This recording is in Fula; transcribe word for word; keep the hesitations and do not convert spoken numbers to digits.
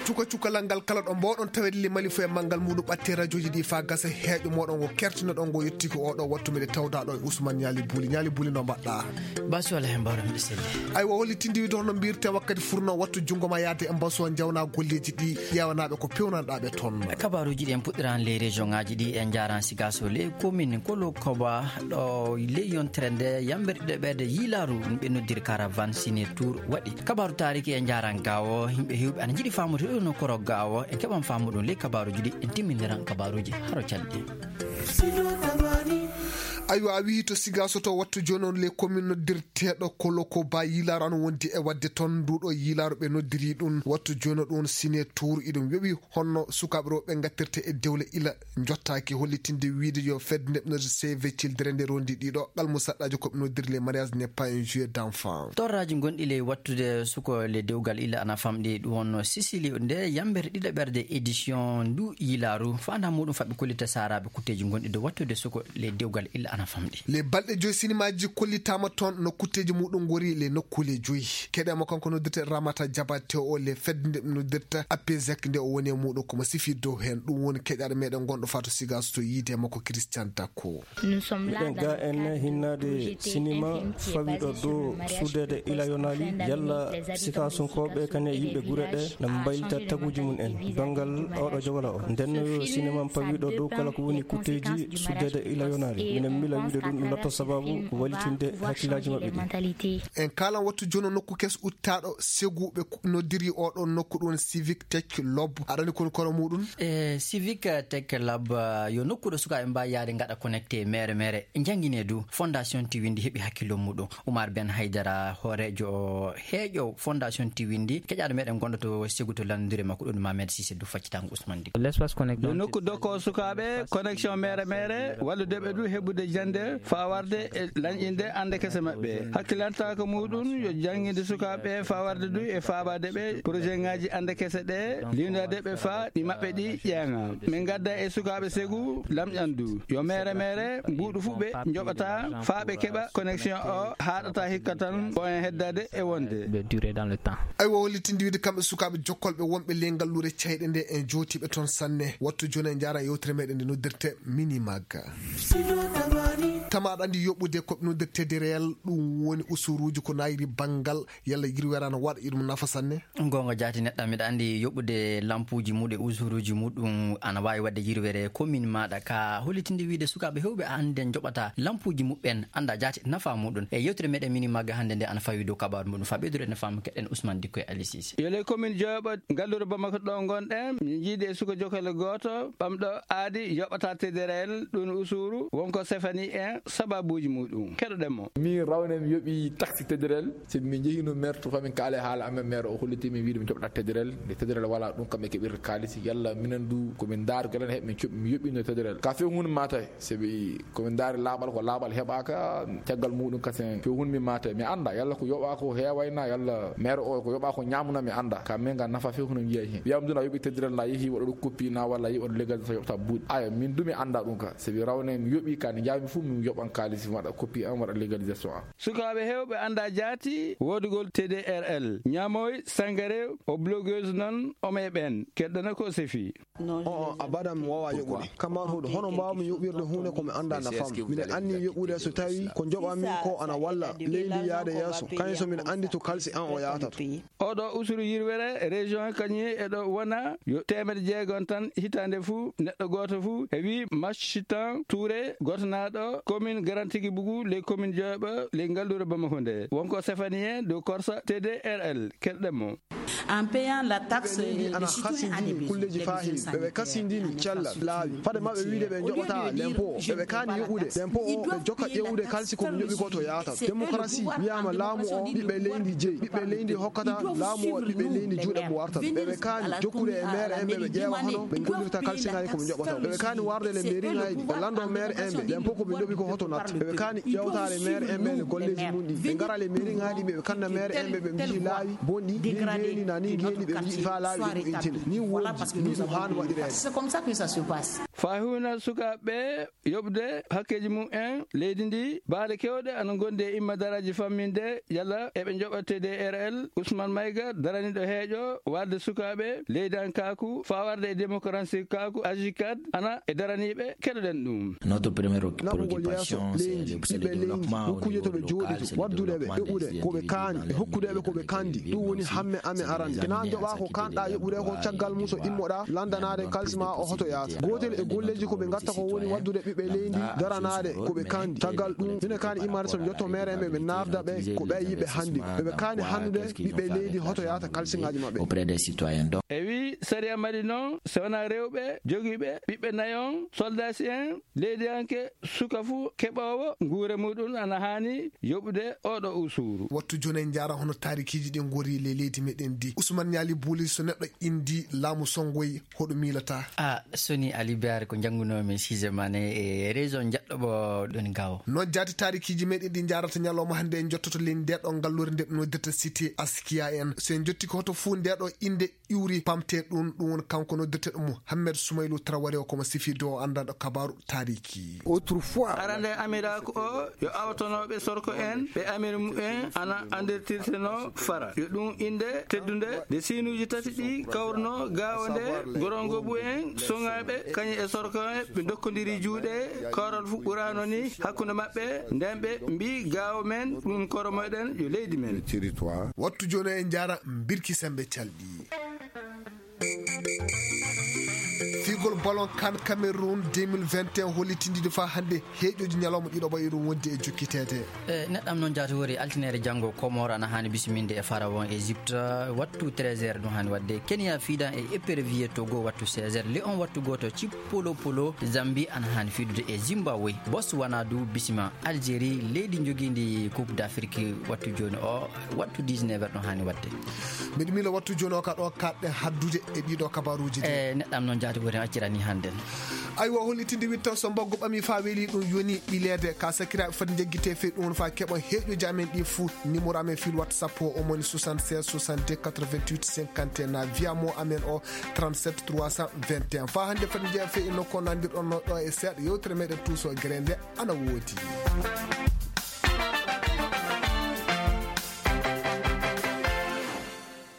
Cuka cukalal ngal kala ɗo mboɗon tawede le Mali fo e manngal muɗum ɓatte radiooji ɗi fa gasa heeƴo moɗon ngo kertinoɗon ngo yettiki oɗo wattu meɗe tawda ɗo e Ousmane Ñaali Buli. Ñaali Buli, no mbaɗɗa? Basi wala hen mbaɗa mbiɗa selli. Aywa, holli tindi wide hono mbirte wakkati furno wattu junngo ma yaade e mbaso jawna golleji ɗi ƴeewanaɓe ko pewnanɗaɓe toon. Kabaruji ɗi en puɗɗiran les région ngaji ɗi en jaran sigaso les commune kolo koba ɗo les yontere nde yamberɗe ɓeɗe yilaru ɓe noddiri caravane signature waɗi. Kabaru taariki e njaran gawo, yimɓe hewɓe ana jiɗi famude ɗo no koro gawo, en keɓan famu ɗum ley kabaruji ɗi, en timmindiran kabaruji haro calɗi. Aywa, a wiyi to sigaso to wattu jooni on le commune noddirteɗo kolo ko ba yilaru ana wondi e wadde toon nduɗo yilaru ɓe noddiri ɗum wattu jooni ɗum signature iɗum weɓi honno sukaɓe rewɓe gattirte e dewle ila jottaaki hollitinde wiide yo fedde neɓnorde Save Children nde rondi ɗiɗo qalmu saɗɗaji ko ɓe noddiri les mariages n'est pas un jeu d'enfant. Torraji gonɗi ley wattude suko le dewgal illa ana famɗi ɗum wonno Sicili nde yambere ɗiɗaɓerde édition ndu yilaru fanda muɗum faɓɓi kollita saraɓe kutteji gonɗi dow wattude suko le dewgal illa ana famɗi. Les balɗe joyi sinimaji kollitama toon no kutteji muɗum gori le nokkule joyi. Keɗe mo kanko noddirte Ramata Jabate o le fedde nde noddirta Apezek nde o woni e muɗum komo sifi dow hen ɗum woni keƴaɗo meɗen gonɗo fato sigaso to yiide makko Christian Takko. Miɗen ga en hinnaade sinima fawiɗo dow suudeede ila yonaali yalla sikasunkooɓe kane yimɓe gure ɗe na mbaylita taguuji mum en banngal oɗo jogala o ndenno yo sinima fawiɗo dow kala ko woni kutteeji suudeede ila yonaali minen mila wiide ɗum ɗum lotto sababu ko walitinde hakkillaaji maɓɓe ɗi. En kalan wattu jono nokku kes uttaɗo seguɓe noddiri oɗo nokku ɗum civic tech lob aɗani kon kono muɗum. E civic tech lab yo nokku ɗo sukaaɓe mbawi yaade gaɗa connecté mere mere janngine du fondation tiwindi heɓi hakkillo muɗum. Oumar Ben Haydara hoorejo heeƴo fondation tiwindi keƴaɗo meɗen gonɗo to segu to lanndire makko ɗum Mamed Sise du faccitango Ousmane Diko. L'espace connecté yo nokku dokko sukaaɓe connexion mere mere walludeɓe du heɓude jande fawarde e lanƴinde ande kese maɓɓe hakkilantaka muɗum yo jannginde sukaaɓe fawarde du e faabade ɓe projet ngaji ande kese ɗe liwdadeɓe fa ɗi maɓɓe ɗi ƴeeŋa. Min gadda e sukaaɓe segu lamƴandu yo mere mere mbuuɗu fuu ɓe njoɓata faa ɓe keɓa connexion o haaɗata hikka tan ko en heddade e wonde. Durée dans le temps. Aywa, hollitinde wiide kamɓe sukaaɓe jokkolɓe wonɓe ley ngalluure cayɗe nde en jootiiɓe toon sanne wattu jooni en njaara yewtere meɗen nde noddirte minimag. Tama aɗa anndi yoɓude ko noddirte de réel ɗum woni usuruuji ko nayri banngal yalla yirwere ana waɗa iɗum nafa sanne. Goonga jaati neɗɗo mbiɗa anndi yoɓude lampuuji muɗum e usuruuji muɗum ana waawi waɗde yirwere commune maaɗa ka hollitinde wiide sukaaɓe heewɓe hannde njoɓata lampuuji muɓɓen annda jaati nafa muɗum e yewtere meɗen mini magga hannde nde ana fawi dow kabaru muɗum fa ɓeydude ne faamu keɗen Ousmane Dikko e Ali Cissé. Yo les commune jooɓo ngalluure Bamako ɗo ngonɗen mi jiidi e suka jokale gooto ɓamɗo aadi yoɓata tederel ɗum usuru wonko sefani en sababuuji muɗum keɗoɗen mo. Min rawne mi yoɓi taxi tederel. Sabi min njehino maire to famin kaala e haala amen maire o holliti min wiide min joɓata tederel nde tederel wala ɗum kam e keɓirta kaalisi yalla minen du komin ndaar gelen heɓ min coɓi mi yoɓino tederel ka few hunde mata. Sabi komin ndaari laaɓal ko laaɓal heɓaka caggal muɗum kasen few hunde mi mata mi anda yalla ko yoɓa ko heewayna yalla maire o ko yoɓa ko ñamuna mi anda ka min ga nafa few hunde mi yiya hen wiyam duna yoɓi tederel na yeehi waɗa ɗum koppi na walla yi waɗa légalisation yoɓta buuɗi aya min du mi anda ɗum ka sabi rawne mi yoɓi ka nde jami fof mi yoɓan kaalisi mi waɗa koppi an waɗa légalisation an. Sukaaɓe heewɓe anndaa jaati woodugol T D R L, ñamooy, sangare, o blogueuse noon, o meeɓeen, keddana ko o sefi. O'o, abadan mi waawaa yoɓude. Kamar huɗo, hono mbaawmi yoɓirde huunde ko mi anndaa nafam? Miɗa anni yoɓude so tawii ko njoɓammi ko ana walla leydi yahde yeeso, kañum so miɗa anndi to kalsi an o yahtata. Oɗo usuru yirwere région kañum eɗo wona yo teemedde jeegom tan hitaande fuu neɗɗo gooto fuu heɓi Machitan Touré gootnaaɗo commune Grand Tigi Bougou ley commune Dioba ley ngalluure Bamako nde wonko sefani en dow korsa T D R L keɗɗen mo. En payant la taxe, ɓe leydi ana hasindini kulleeji faa heewi ɓe ɓe kasindini cellal laawi fade maɓɓe wiide ɓe njoɓata lempo o ɓe ɓe kaani yoɓude lempo o ɓe jokka ƴeewude kalsi ko ɓe njoɓi ko to yaata. Démocratie wiyaama laamu o ɓiɓɓe leydi jeyi ɓiɓɓe leydi hokkata laamu o ɓiɓɓe leydi juuɗe mo wartata ɓe ɓe kaani jokkude e maire en ɓe ɓe ƴeewa hono ɓe gollirta kalsinaaji ko ɓe njoɓata ɓe ɓe kaani warde le mairie ŋaaji ɓe lanndo maire en ɓe lempo ko ɓe njoɓi ko hoto natta ɓe ɓe kaani ƴeewtaade maire en ɓe le golleeji mum ɗi ɓe ngara le mairie ŋaaji ɓe ɓe kanna maire en ɓe ɓe mbiyi laawi bonɗi ni ngeeni na ni ngeeni ɓe mbiyi faa laawi ɗe moƴƴintine ni wonji ni ɗum haani waɗireede. C'est comme ça que ça se passe. Faa huwina sukaaɓe ɓe yoɓde hakkeeji mum en leydi ndi, baale keewɗe ana ngondi e imma daraaji famminde yalla eɓe njoɓa T D R L. Ousmane Maïga, daraniiɗo heeƴo waalde sukaaɓe leydi an kaaku faa warde e démocratie kaaku, Agicad, ana e daraniiɓe. Keɗoɗen ɗum. Notre première Naɓugol yeeso préoccupation, c'est leydi, le, c'est le ɓiɓɓe leydi, développement au nokkuuje to niveau ɓe local, jooɗi, c'est le waddude ɓe développement yoɓude des ko ɓe individus kaani, dans e les hokkude ɓe ko ɓe individus kandi. Ɗum woni hamme amen arande. Kena joɓa ko kanɗa yoɓude ko caggal mum so immoɗa, lanndanaade kalsi ma o hoto yaata. Gootel e golleeji ko ɓe ngatta ko woni waddude ɓiɓɓe leydi, daranaade ko ɓe kandi. Caggal ɗum, ina kaani immaade so ɓe njotto meere en ɓe, ɓe naafda ɓe ko ɓe yiɓe hannde. Ɓe ɓe kaani hannude ɓiɓɓe leydi hoto yaata kalsiŋaaji maɓɓe. Auprès des citoyens. Donc, e wi sariya Mali noon, so wonaa rewɓe jogiiɓe ɓiɓɓe nayon, soldaasi en, leydiyanke, suka fuu keɓoowo nguure muɗum ana haani yoɓude oɗo usuru. Wattu jooni en njaara hono taarikiiji ɗi ngori le leydi meɗen ndi. Ousmane Niali Bouli, so neɗɗo indi laamu songoy, hoɗo miilata? A soni Ali Biar ko njanngunoomi siise mane e région njaɗɗo ɓo ɗon gawo. Noon jaati taarikiiji meɗen ɗi njaarata ñalawma hannde en njottoto leydi nde ɗo ngallure nde ɓe noddirta cité Askia en. So en njotti ko hoto fuu nde ɗo innde iwri pamte ɗum, ɗum woni kanko noddirteɗo Mouhamed Soumailou Traoré, o ko mo sifiido o anndanɗo kabaaru taariki. Autrefois, arande amiraaku o yo awtonooɓe sorko en ɓe amir mumen ana anndirtirteno fara. Yo ɗum innde teddunde nde siinuuji tati ɗi kawrno gaawo nde gorongo ɓu en soŋaaɓe kañum e sorko en ɓe ndokkondiri juuɗe. Kawral fu ɓuraano ni hakkunde maɓɓe nden ɓe mbi gaawo men ɗum koro meɗen yo leydi men. Wattu jooni en njaara Birki Sembe Calɗi. Fiigol ballon kan Cameroun deux mille vingt et un hollitindiiɗo faa hannde heeƴooji ñalawma ɗiɗo ɓayi ɗum wonde e jokkiteede. E neɗɗam noon jaati wori altine janngo Comores ana haani bisiminde e Pharaon Égypte wattu treize heures ɗum haani waɗde. Kenya fiidan e épervier Togo wattu seize heures. Lion wattu gooto Cippolopolo Zambie ana haani fiidude e Zimbabwe. Botswana du bisima Algérie, leydi njogiindi Coupe d'Afrique wattu jooni o, wattu dix-neuf heures ɗon haani waɗde. Mbeɗa miila wattu jooni o ka ɗo kaɗɗen haddude e ɗiɗo kabaaruuji ɗi. E neɗɗam noon jaati woni accirani hannden. Aywa, hollitinde witta so mbaggu ɓami faa weeli ɗum yoni ɓileede ka sakiraaɓe foti njeggite fey ɗum woni faa keɓa heeƴooji amen ɗi fuu. Numéro amen fil WhatsApp o, o moni soixante-seize soixante-deux quatre-vingt-huit cinquante et un, na via mo amen o trente-sept trois cent vingt et un. Faa hannde foti njeya fey e nokku o nandirɗon no ɗo e seeɗa yewtere meɗen tuuso gere nde ana woodi.